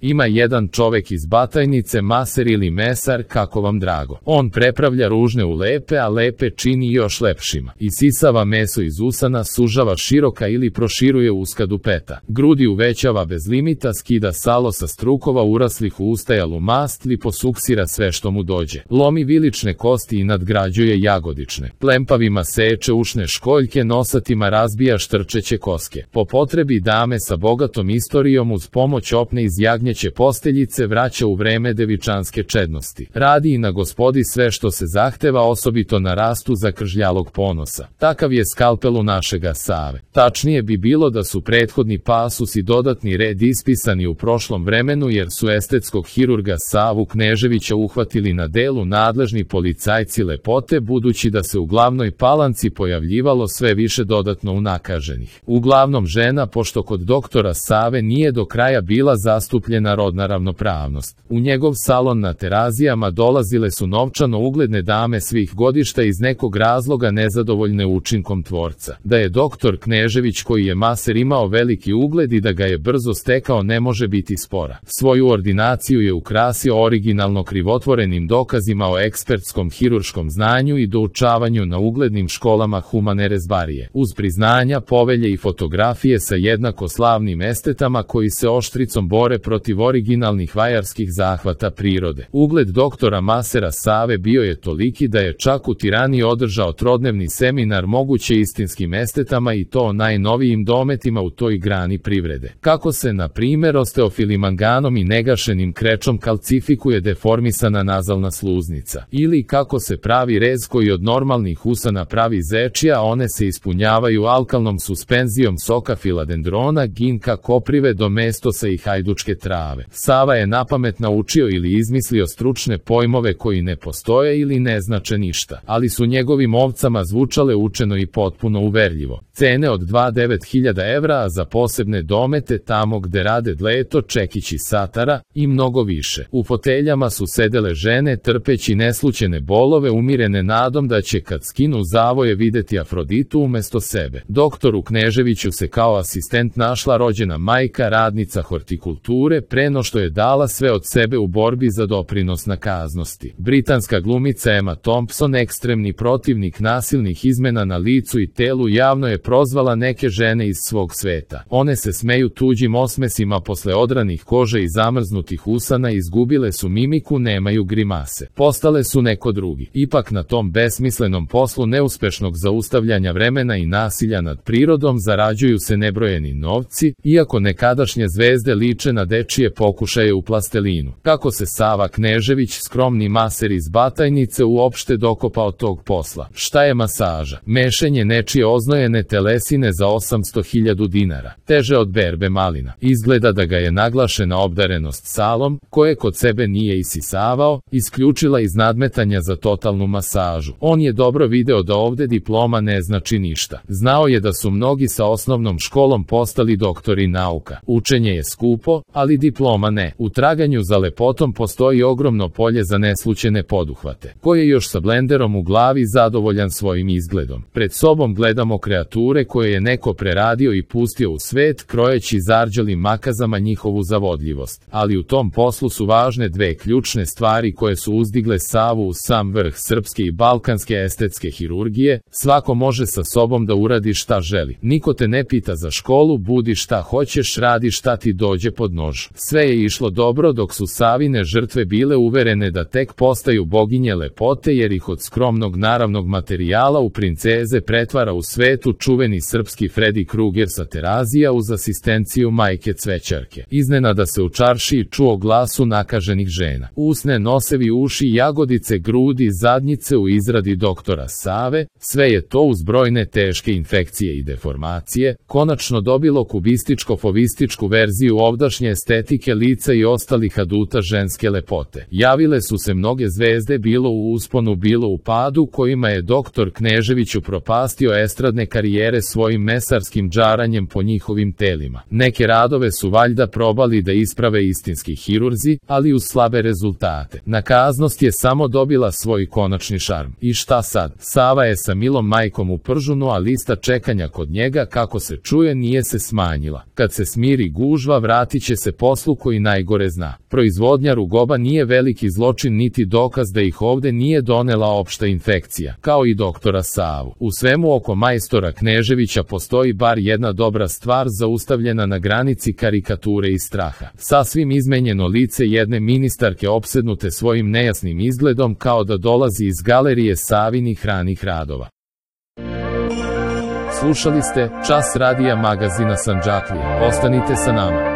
Ima jedan čovek iz Batajnice, maser ili mesar, kako vam drago. On prepravlja ružne u lepe, a lepe čini još lepšima. Isisava meso iz usana, sužava široka ili proširuje uska dupeta. Grudi uvećava bez limita, skida salo sa strukova uraslih u ustajalu mast ili posuksira sve što mu dođe. Lomi vilične kosti i nadgrađuje jagodične. Plempavima seče ušne školjke, nosatima razbija štrčeće koske. Po potrebi dame sa bogatom istorijom uz pomoć opne iz jagnjeće posteljice vraća u vreme devičanske čednosti. Radi i na gospodi sve što se zahteva, osobito na rastu zakržljalog ponosa. Takav je skalpel u našega Save. Tačnije bi bilo da su prethodni pasus i dodatni red ispisani u prošlom vremenu, jer su estetskog hirurga Savu Kneževića uhvatili na delu nadležni policajci lepote, budući da se u Glavnoj Palanci pojavljivalo sve više dodatno unakaženih. Uglavnom žena, pošto kod doktora Save nije do kraja bila zastupljena rodna ravnopravnost. U njegov salon na Terazijama dolazile su novčano ugledne dame svih godišta iz nekog razloga nezadovoljne učinkom tvorca. Da je doktor Knežević, koji je maser, imao veliki ugled i da ga je brzo stekao, ne može biti spora. Svoju ordinaciju je ukrasio originalno krivotvorenim dokazima o ekspertskom hirurškom znanju i doučavanju na uglednim školama humane rezbarije, uz priznanja, povelje i fotografije sa jednako slavnim estetama koji se oštricom bore protiv originalnih vajarskih zahvata prirode. Ugled doktora masera Save bio je toliki da je čak u Tirani održao trodnevni seminar moguće istinskim estetama, i to o najnovijim dometima u toj grani privrede. Kako se, na primjer, osteofilimanganom i negašenim krečom kalcifikuje deformisana nazalna sluznica, ili kako se pravi rez koji od normalnih usana pravi zečija, a one se ispunjavaju alkalnom suspenzijom soka filadendrona, ginka, koprive do mestosa i hajdučke trave. Sava je napamet naučio ili izmislio stručne pojmove koji ne postoje ili ne znače ništa, ali su njegovim ovcama zvučale učeno i potpuno uverljivo. Cene od 2.900 evra, a za posebne domete tamo gde rade dleto, čekići satara i mnogo više. U foteljama su sedele žene trpeći neslućene bolove, umirene nadom da će kad skinu zavoje videti Afroditu umesto sebe. Doktoru Kneževiću se kao asistent našla rođena majka, radnica hortikulture, pre no što je dala sve od sebe u borbi za doprinos nakaznosti. Britanska glumica Emma Thompson, ekstremni protivnik nasilnih izmena na licu i telu, javno je prozvala neke žene iz svog sveta. One se smeju tuđim osmesima posle odranih kože i zamrznutih usana, izgubile su mimiku, nemaju grimase. Postale su neko drugi. Ipak na tom besmislenom poslu neuspešnog zaustavljanja vremena i nasilja nad prirodom zarađuju se nebrojeni novci, iako nekadašnje zvezde liče na dečije pokušaje u plastelinu. Kako se Sava Knežević, skromni maser iz Batajnice, uopšte dokopao tog posla? Šta je masaža? Mešenje nečije oznojene telesine za 800.000 dinara. Teže od berbe malina. Izgleda da ga je naglašena obdarenost salom, koje kod sebe nije isisavao, isključila iz nadmetanja za totalnu masažu. On je dobro video da ovde diploma ne znači ništa. Znao je da su mnogi sa osnovnom školom postali doktori nauka. Učenje je skupo, ali diploma ne. U traganju za lepotom postoji ogromno polje za neslućene poduhvate. Ko je još sa blenderom u glavi zadovoljan svojim izgledom? Pred sobom gledamo kreature koje je neko preradio i pustio u svet, krojeći zarđalim makazama njihovu zavodljivost. Ali u tom poslu su važne dve ključne stvari koje su uzdigle Savu u sam vrh srpske i balkanske estetske hirurgije. Svako može sa sobom da uradi šta želi. Niko te ne pita za školu, budi šta hoćeš, radi šta ti dođe pod nož. Sve je išlo dobro dok su Savine žrtve bile uverene da tek postaju boginje lepote, jer ih od skromnog naravnog materijala u princeze pretvara u svetu čuveni srpski Freddy Krueger sa Terazija uz asistenciju majke cvećarke. Iznenada se u čaršiji čuo glas unakaženih žena. Usne, nosevi, uši, jagodice, grudi, zadnjice u izradi doktora Save, sve je to uz brojne teške infekcije i deformacije konačno dobilo kubističko-fovističku verziju ovdašnje estetike lica i ostalih aduta ženske lepote. Javile su se mnoge zvezde, bilo u usponu, bilo u padu, kojima je doktor Knežević upropastio estradne karijere svojim mesarskim džaranjem po njihovim telima. Neke radove su valjda probali da isprave istinski hirurzi, ali uz slabe rezultate. Nakaznost je samo dobila svoj konačni šarm. I šta sad? Sava je sa milom majkom u pržunu, a lista čekanja kod njega, kako se čuje, nije se smanjila. Kad se smiri gužva, vratit će se poslu koji najgore zna. Proizvodnja rugoba nije veliki zločin niti dokaz da ih ovde nije donela opšta infekcija, kao i doktora Savu. U svemu oko majstora Kneževića postoji bar jedna dobra stvar zaustavljena na granici karikature i straha. Sasvim izmenjeno lice jedne ministarke opsednute svojim nejasnim izgledom kao da dolazi iz galerije Savinih ranih radova. Slušali ste Čas radija magazina Sandžaklija. Ostanite sa nama.